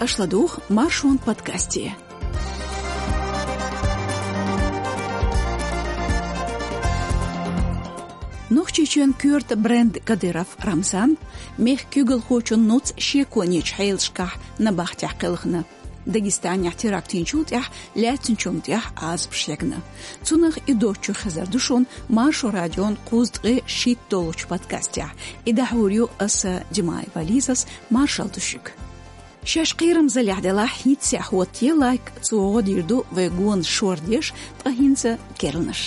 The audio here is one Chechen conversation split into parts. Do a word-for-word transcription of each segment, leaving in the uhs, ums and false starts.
Аша ладугӀу Маршон подкасте. Нохчийчоьнан коьрта бренд Кадыров Рамзан мехка куьйгалхочун нуц шеконечу хьелашкахь набахтехь кхелхина. Дагестанехь теракт йинчул тӀаьхьа лаьцначунна тӀехь Ӏазапаш хьегна. Цунах и доцчух хезар ду шуна Маршо радион кхузткъе шийтта долчу подкастехь. И дӀахьур ю аса, Димаева Лизас, маршалла ду шуьга. Шаьш кхерамзаллехь делахь, хӀинццехь хӀоттае лайк, цо гӀо дийр ду вай гонаш шордеш, ткъа хӀинца керланаш.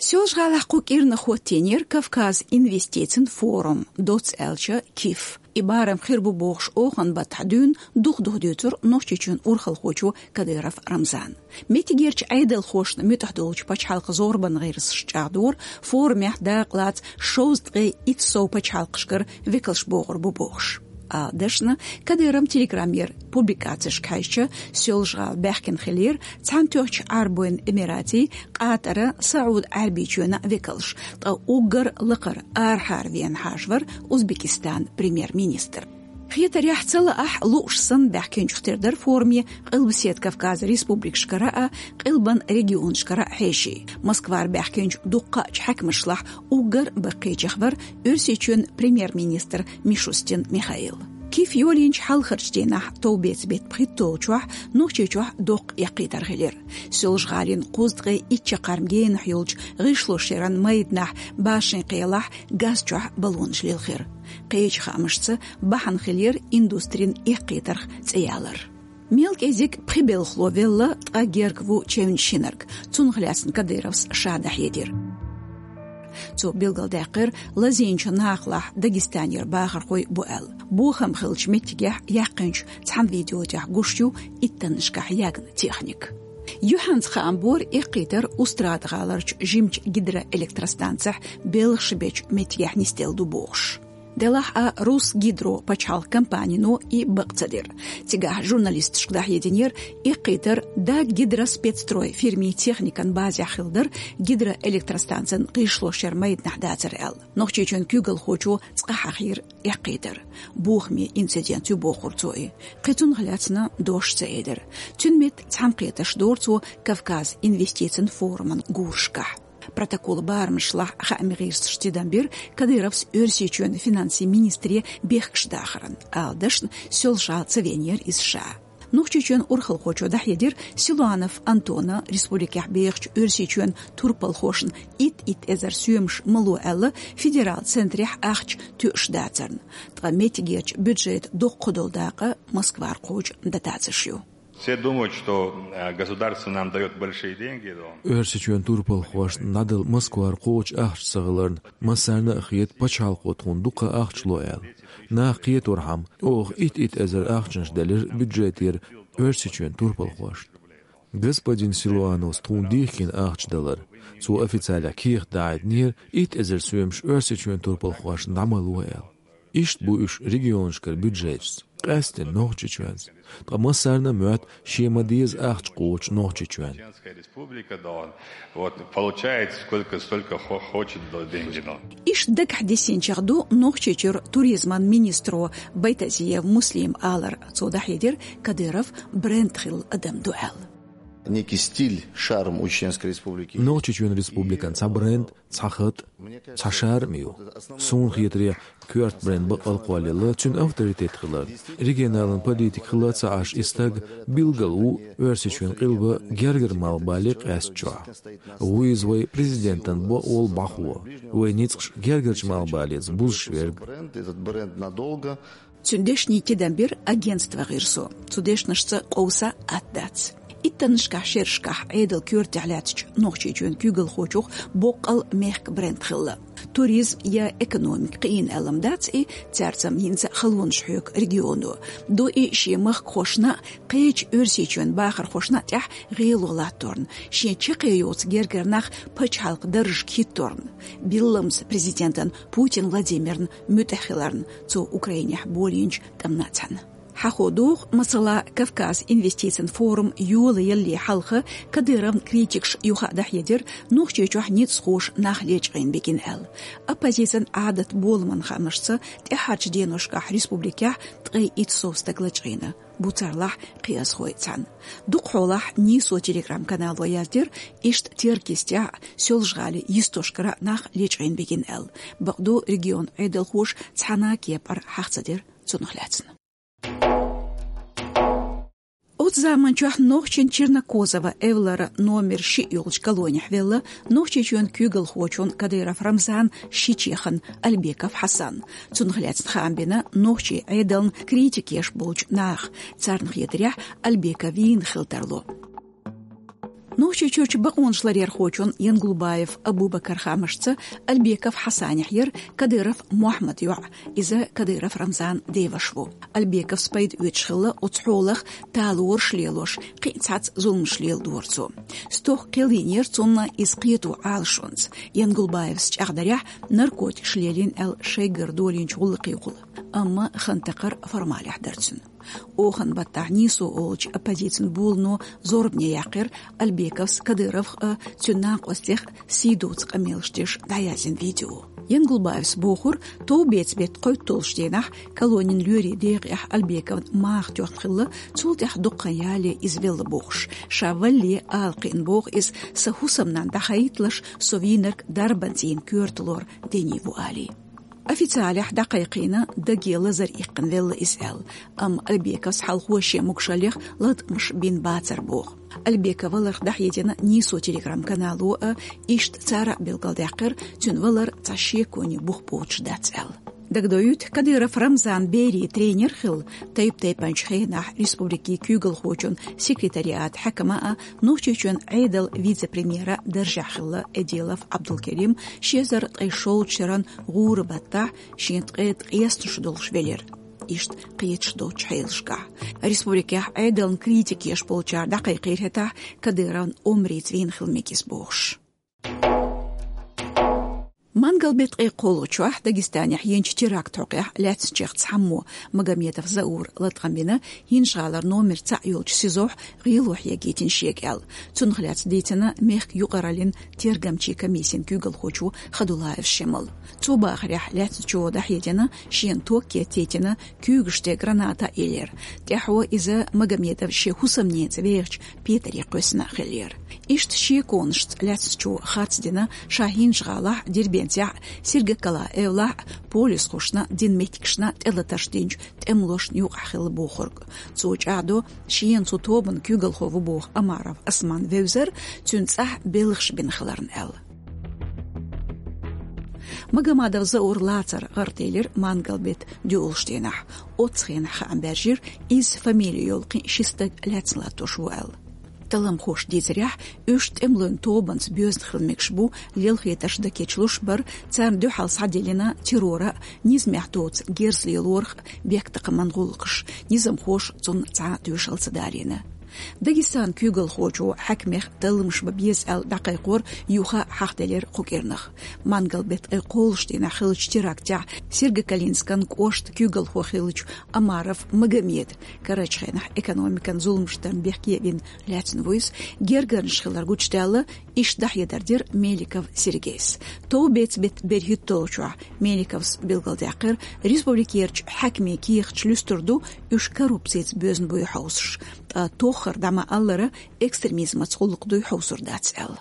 Соьлжа-ГӀалахь кху кӀирнах хӀоттийнера Кавказ инвестицин форум, доцца аьлча, КИФ. И барам хир бу бохуш оханан баттахь дуьйна дукха-дукха дуьйцура Нохчийчоьнан урхалхочо Кадыров Рамзана. Меттигерчу Ӏедалхошна муьтӀахь долчу пачхьалкхан зорбан гӀирсаш чӀагӀдора, форумехь дакъалаца шовзткъе итт сов пачхьалкхашкара векалш богӀур бу бохуш. Ала дашна, Кадыровн Телеграмера публикацешка хьаьжча, Соьлжа-ГӀала баьхкина хиллера Цхьаьнатоьхначу Ӏарбойн Эмиратийн, Къатаран, СаӀуд-Ӏаьрбийчоьнан векалш, ткъа уггар лакхара арахьара вена хьажа вара Узбекистанан премьер-министр. Хетарехь, ца лаахь, лууш санна баьхкинчух тера дара форуме Къилбаседа Кавказан республикашкара а, Къилбан регионашкара а хьеший. Москвара баьхкинчу дуккха а хьаькамашлахь уггар баккхийчех вара Оьрсийчоьнан премьер-министр Мишустин Михаил. КИФ йолийначу хьалхарчу дийнахь, товбеца беттан пхийтталгӀачохь, Нохчийчохь доккха эккхийтар хилира. Соьлжа-ГӀалина кхузткъе итт чаккхарма генахь йолчу гӀишлошъяран майданахь Башин-Кхелахь газ чохь баллонаш лилхира. Кхечу хаамашца, бахьана хилира индустрин эккхийтарх цӀе ялар. Мел кӀезиг пхи белхало велла, ткъа герга ву чевнаш хинарг. Цунах лаьцна Кадыровс ша дӀахьедира. Цо билгалдаьккхира, лазийначу накъалахь Дагестанера бахархой бу аьлла. Бохам хиллачу меттигехь яьккхинчу цхьана видео тӀехь гуш ю иттаннашкахь ягна техника. Юьхьанца хаам бора эккхийтар Устрада-ГӀаларчу жимачу гидроэлектростанцехь белхаш бечу меттигехь нисделла ду бохуш. Делахь а Русгидро пачхьалкхан компанино и бакъ ца дира. Цигахь журналисташка дӀахьединера, эккхийтар Даггидроспецстрой фирмин техникан базехь хилла дара, гидроэлектростанцин гӀишлошъяран майданахь дацара аьлла. Нохчийчоьнан куьйгалхочо цкъа хьахийра эккхийтар. Бохаме инцидент ю бохура цо и. Кхин цунах лаьцна дош ца элира. Цуьнан метта цхьаьнакхетарш дора цо Кавказ инвестицин форуман гурашкахь. Протоколан барамашлахь хаамийн гӀирсаша тидам бира, Кадыровс Оьрсийчоьнан финансийн министре бехкаш дахаран. Ала дашна, Соьлжа-ГӀала ца веанера иза ша. Нохчийчоьнан урхалхочо дӀахьедира, Силуанов Антона республикехь бехачу Оьрсийчоьнан турпалхошна итт-итт эзар соьмаш мало аьлла, федералан центрехь ахча тоьуш дацарна. Ткъа меттигерчу бюджетан доккха долу дакъа Москвара кхочу дотацеш ю. Все думают, что э, государство нам дает большие деньги, но Оьрсийчоьнан турпалхошна дӀадала Москвара кхочу ахча ца хиларна, массарна а хета, пачхьалкхо тхуна дуккха ахча ло аьлла. Нах кхеторхьама, оха итт-итт эзар ахчанаш делира бюджетера Оьрсийчоьнан турпалхошна. Господин Силуановс тхуна дихкина ахча далар. Цо официалехь кехат дӀахьединера, итт эзар соьмаш Оьрсийчоьнан турпалхошна дӀа ма ло аьлла. Иштта бу уьш регионашкара бюджеташца, къаьсттина Нохчийчоьнца. Ткъа массарна а моьтту шен ма-деззара ахча кхочу Нохчийчоьнна. Чеченская республика, да, вот, получает сколько, столько хо- хочет, да, деньги, да. Иштта дагахь диссинчех ду Нохчийчуьра туризман министро Байтазиев Муслима алар. Цо дӀахьедира, Кадыров бренд хилла адам ду аьлла. Некий стиль, шарм у Чеченской Республики. Нохчийчоьнан республикан цхьа бренд, цхьа хатӀ, цхьа шарм ю. Суна хетарехь, коьрта бренд бакъ а кхоллаелла, цуьнан авторитет хилар. Регионалан политик хилла ца Ӏаш и стаг билггал ву Оьрсийчоьнан къилба гергара малхбале къаьстачохь. Ву иза вай президентан бакъволу бӀахо, вайн ницкъаш гергарчу малхбалеца бузуш верг. Бренд, этот бренд надолго. Цуьнан дешнийн тидам бира агентстван гӀирсо. Цу дешнашца къовса атта дац. Иттаннашкахь шерашкахь Ӏедалан коьртехь лаьттачу Нохчийчоьнан куьйгалхочух боккъал мехкан бренд хилла. Туризм я экономика кхиийна аьлла ма дац и, цаьрца-м хӀинца а халонаш хьоьгу регионо. Ду и шен махкахошна а, кхечу Оьрсийчоьнан бахархошна а тӀехь гӀело латторна, шен чаккхе йоцу гергара нах пачхьалкхан даржашка хӀитторна, билламца президентан Путин Владимирна муьтӀахь хиларна, цо Украинехь болийначу тӀамна а цхьаьна. Хьахо доху, масала, Кавказ инвестицийн форум йолаялале хьалха Кадыровн критикаш юха а дӀахьедира, Нохчийчохь ницкъахоша нах лечкъийна бигина аьлла. Оппозицин Ӏадат боламан хаамашца, тӀаьхьарчу деношкахь республикехь ткъе итт сов стаг лачкъийна, буцарлахь кхиазхой цхьаьна. Дукхахьолахь Нийсо Telegram-канало яздира, иштта Теркйистехь а, Соьлжа-ГӀалин йистошкара а нах лечкъийна бигина аьлла. Бакъду, регионан Ӏедалхоша цхьана а кепара хьаха ца дира цунах лаьцна. Оцу заманчохь нохчийн Чернокозово эвлара номер шиъ йолчу колонехь велла Нохчийчоьнан куьйгалхочун Кадыров Рамзанан ши чехана Альбеков Хьасан. Цунах лаьцна хаам бина нохчийн Ӏедална критика еш болчу наха, царна хетарехь, Альбеков вийна хила тарло. Нохчийчуьрчу бакъонаш ларъярхочун Янгулбаев Абубакаран хаамашца, Альбеков Хьасанехь яра Кадыров Мохьмадан йоӀ, иза Кадыров Рамзанан деваша ву. Альбековс пайда оьцуш хилла оцу хьолах, талораш лелош, кхин а цхьацца зуламаш леладора цо. Стохка кхел йинера цунна иза кхето Ӏалашонца. Янгулбаевс чӀагӀдарехь, наркотикаш лелийна аьлла шайгара долийначу гӀуллакхехула. Амма хан такхар формалехь дара цуьнан. Оханан баттахь Нийсо олучу оппозицин булано зорбане яьккхира Альбековс Кадыровх а, цуьнан накъостех а сий доцу къамелаш деш дӀаяздина видео. Янгулбаевс бохура, товбеца беттан кхойтталгӀачу дийнахь колонин лоьрийн декъехь Альбековна маха тоьхна хилла, цул тӀаьхьа дукха хан ялале иза велла бохуш. Ша валале ала кхиъна боху иза, сан хӀусамнанна дӀахаийталаш, со вийнарг дарбанца йина коьрта лор дени ву алий. Официалехь дӀакхайкхийна, даге лазар иккхина велла иза аьлла, амма Альбековс хьалхо шен могушаллех латкъамаш бина бацара боху. Альбеков валарх дӀахьедина Нийсо Telegram-канало а, иштта цара а билгалдаьккхира, цуьнан валар цхьа шеконе бух боцуш дац аьлла. Дагадоуьйту, Кадыров Рамзанан берийн тренер хилла, тайп-тайпанчу хенахь республикин куьйгалхочун секретариатан хьаькам а, Нохчийчоьнан Ӏедалан вице-премьеран даржехь хилла Эдилов Ӏабдулкерим ши эзар ткъе шолгӀачу шеран гӀуран баттахь шен ткъе ткъеснаш долуш велира. Иштта кхеташ доцучу хьелашкахь, республикехь Ӏедална критика еш болчара дӀакхайкхийра хӀетахь Кадыровн омрица вийна хила мегар ю бохуш. Мангал-беттан ткъе кхоалгӀачохь Дагестанехь йинчу терактан хьокъехь лаьцначех цхьаммо, Магомедов Заура, латкъам бина ХӀинжа-ГӀалара номер цхьаъ йолчу СИЗО-хь гӀело хьегийтина шега аьлла. Цунах лаьцна дийцина мехкан юкъараллин тергамчийн комиссин куьйгалхочо Хадулаев Шемала. Цо бахарехь, лаьцначо дӀахьедина, шена ток кеттийтина, куьйгаш тӀе граната а еллера. ТӀаьхьо иза Магомедов шен хӀусамненца вехачу петаре кхоьссина а хиллера. Иштта шеконашца лаьцначо харц дина ша ХӀинжа-ГӀалахь а, Дербентехь а, Сергокала эвлахь а полисхошна дина меттигашна тӀелатарш динчу тӀемалошна юкъахь хилла бохург. Цо чӀагӀдо шена цу тобанан куьйгалхо ву боху Омаров Осман вевзар, цуьнан цӀахь белхаш бина хиларна аьлла. Магомадов Заура лацар гӀарателира мангал-беттан доьалгӀачу дийнахь. Оццу хенахь хаам баьржира, изза фамили йолу кхин ши стаг лаьцна латтош ву аьлла. Талламхоша дийцарехь, уьш тӀемалойн тобанца боьзна хила мегаш бу, лелхетарш дан кечлуш бара, царна дуьхьал схьадиллина террор а, низамехь доцу герз лелорах а бехктакхаман гӀуллакхаш, низамхоша цунна цхьа а тоьшалла ца далийна. Дагестанан куьйгалхочо хьаькамех талламаш бан беза аьлла дӀакхайкхор юха а хьахделира кху кӀирнах. Мангал-беттан ткъе кхоалгӀачу дийнахь хиллачу терактехь Сергокалинскан кӀоштан куьйгалхо хиллачу Омаров Магомеда, карарчу хенахь экономикан зуламаш дарна бехке а вина, лаьцна ву иза, гергарнаш хилар гучудаьлла, иштта дӀахьедар дира Меликов Сергейс. Товбеца-беттан берхӀитталгӀачохь Меликовс билгалдаьккхира, республикерчу хьаькамийн кехаташ луьстур ду, уьш коррупцица боьзна буй хьовсуш, ткъа тоххара дӀа ма-аллара, экстремизмаца гӀуллакх дуй хьовсур дац аьлла.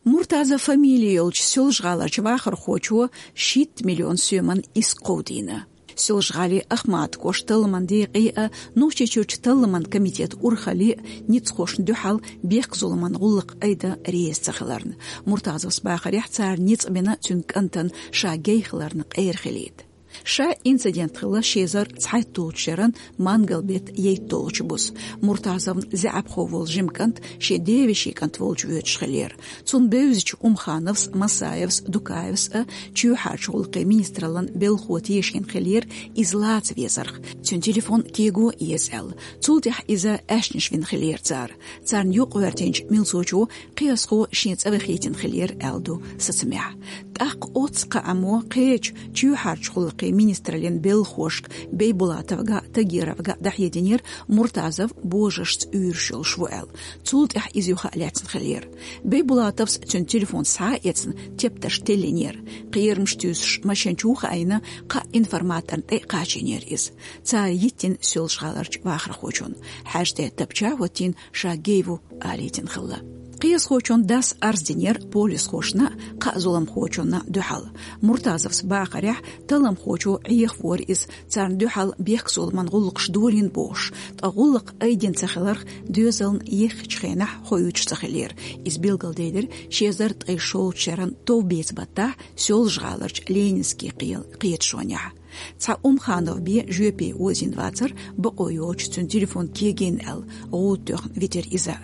Муртазов фамили йолчу Соьлжа-ГӀаларчу вахархочо шийтта миллион соьман иск кховдийна. Соьлжа-ГӀалин Ахматан кӀоштан талламан декъе а, Нохчийчуьрчу талламан комитетан урхалле а ницкъахошна дуьхьал бехк-зуламан гӀуллакх айдан реза ца хиларна. Муртазовс бахарехь, цара ницкъ бина цуьнан кӀантана ша гей хиларна къера хилийта. Ша инцидент хилла ши эзар цхьайтталгӀачу шеран мангал-беттан ейтталгӀачу буса. Муртазовн заьӀапхо волу жима кӀант шен девешин кӀант волчу воьдуш хиллера. Цунна бевзачу Умхановс, Масаевс, Дукаевс а чоьхьарчу гӀуллакхийн министраллан белхахо тешийна хиллера иза лаца везарх, цуьнан телефон кего а еза аьлла. Цул тӀаьхьа иза аьшнаш вина хиллера цара. Царна юкъагӀоьртинчу милцочо кхиазхо шен цӀа вахийтина хиллера аьлла ду сацамехь. ТӀаккха оццу кхааммо кхечу чоьхьарчу гӀуллакхийн министраллин белхахошка Бейбулатовга а, Тагировга а дӀахьединера, Муртазов божаршца уьйраш йолуш ву аьлла. Цул тӀаьхьа иза юха а лаьцна хиллера. Бейбулатовс цуьнан телефон схьа а эцна, тептарш теллинера. Кхерамаш туьйсуш машен чу ву хаийна, кхаа информаторна тӀе а кхачийнера иза. Цара йиттина Соьлжа-ГӀаларчу вахархочунна. ХьаьжцӀе тапча а хӀоттийна, ша гей ву алийтина хилла. Кхиазхочун дас арз динера полисхошна а, кхаа зуламхочунна а дуьхьал. Муртазовс бахарехь, талламхочо Ӏехавора иза, царна дуьхьал бехкзуламан гӀуллакхаш долийна бохуш, ткъа гӀуллакх айдина ца хиларх доьзална еххачу хенахь хоуьйтуш ца хиллера. Иза билгалделира ши эзар ткъе шолгӀачу шеран товбеца баттахь Соьлжа-ГӀаларчу Ленинский кхел-, кхеташонехь. Цхьа Умханов бен жоьпе озийна вацара, бакъо йоцуш цуьнан телефон кегийна аьлла, гӀуда тоьхна витира иза.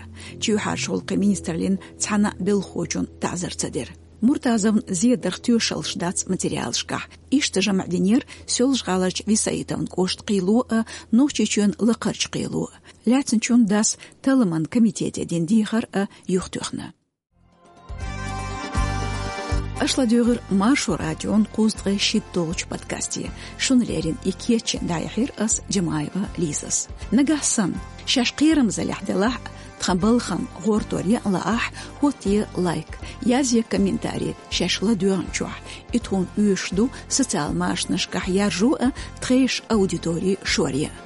Чоьхьарчу гӀуллакхийн министраллин цхьана а белхахочунна таӀзар ца дира. Муртазовна зедарх тоьшаллаш дац материалашкахь. Иштта жамӀ динера Соьлжа-ГӀаларчу Висаитовн кӀоштан кхело а, Нохчийчоьнан лакхарчу кхело а. Лаьцначун дас талламан комитете дина дехар а юхатоьхна. Аша ладуьйгӀира Маршо радион кхузткъе шийтта долчу подкасте. Шуна леррина и кечйина дӀаяьхьира ас, Джамаева Лизас. Нагахь санна шаьш кхерамзаллехь делахь а, тхан балхана гӀортор ян а лаахь, хӀоттае лайк, язъе комментарий шаьш ладоьгӀначохь. И тхуна оьшуш ду социал машанашкахь яржо а, тхешан аудитори шоръян а.